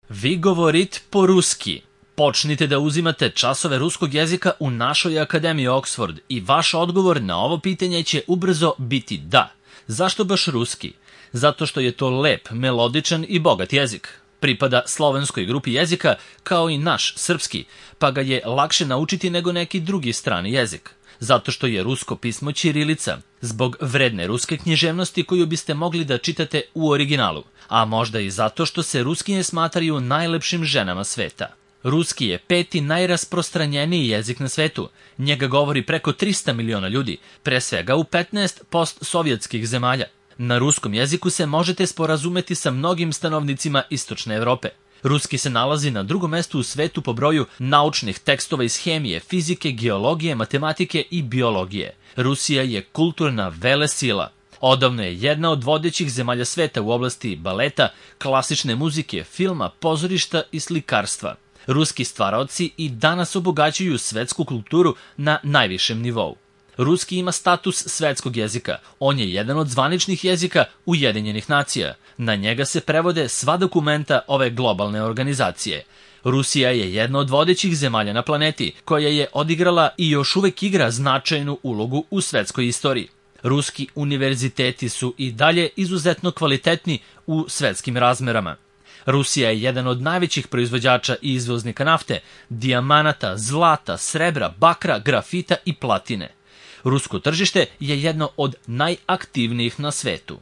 Vi govorit po-ruski. Počnite da uzimate časove ruskog jezika u našoj Akademiji Oxford i vaš odgovor na ovo pitanje će ubrzo biti da. Zašto baš ruski? Zato što je to lep, melodičan i bogat jezik. Pripada slovenskoj grupi jezika kao i naš srpski, pa ga je lakše naučiti nego neki drugi strani jezik. Zato što je rusko pismo ćirilica, zbog vredne ruske književnosti koju biste mogli da čitate u originalu, a možda i zato što se ruskinje smatraju najlepšim ženama sveta. Ruski je peti najrasprostranjeniji jezik na svetu. Njega govori preko 300 miliona ljudi, pre svega u 15 postsovjetskih zemalja. Na ruskom jeziku se možete sporazumeti sa mnogim stanovnicima Istočne Evrope. Ruski se nalazi na drugom mestu u svetu po broju naučnih tekstova iz hemije, fizike, geologije, matematike i biologije. Rusija je kulturna velesila. Odavno je jedna od vodećih zemalja sveta u oblasti baleta, klasične muzike, filma, pozorišta i slikarstva. Ruski stvaraoci i danas obogaćuju svetsku kulturu na najvišem nivou. Ruski ima status svetskog jezika. On je jedan od zvaničnih jezika Ujedinjenih nacija. Na njega se prevode sva dokumenta ove globalne organizacije. Rusija je jedna od vodećih zemalja na planeti, koja je odigrala i još uvek igra značajnu ulogu u svetskoj istoriji. Ruski univerziteti su i dalje izuzetno kvalitetni u svetskim razmerama. Rusija je jedan od najvećih proizvođača i izvoznika nafte, dijamanata, zlata, srebra, bakra, grafita i platine. Rusko tržište je jedno od najaktivnijih na svetu.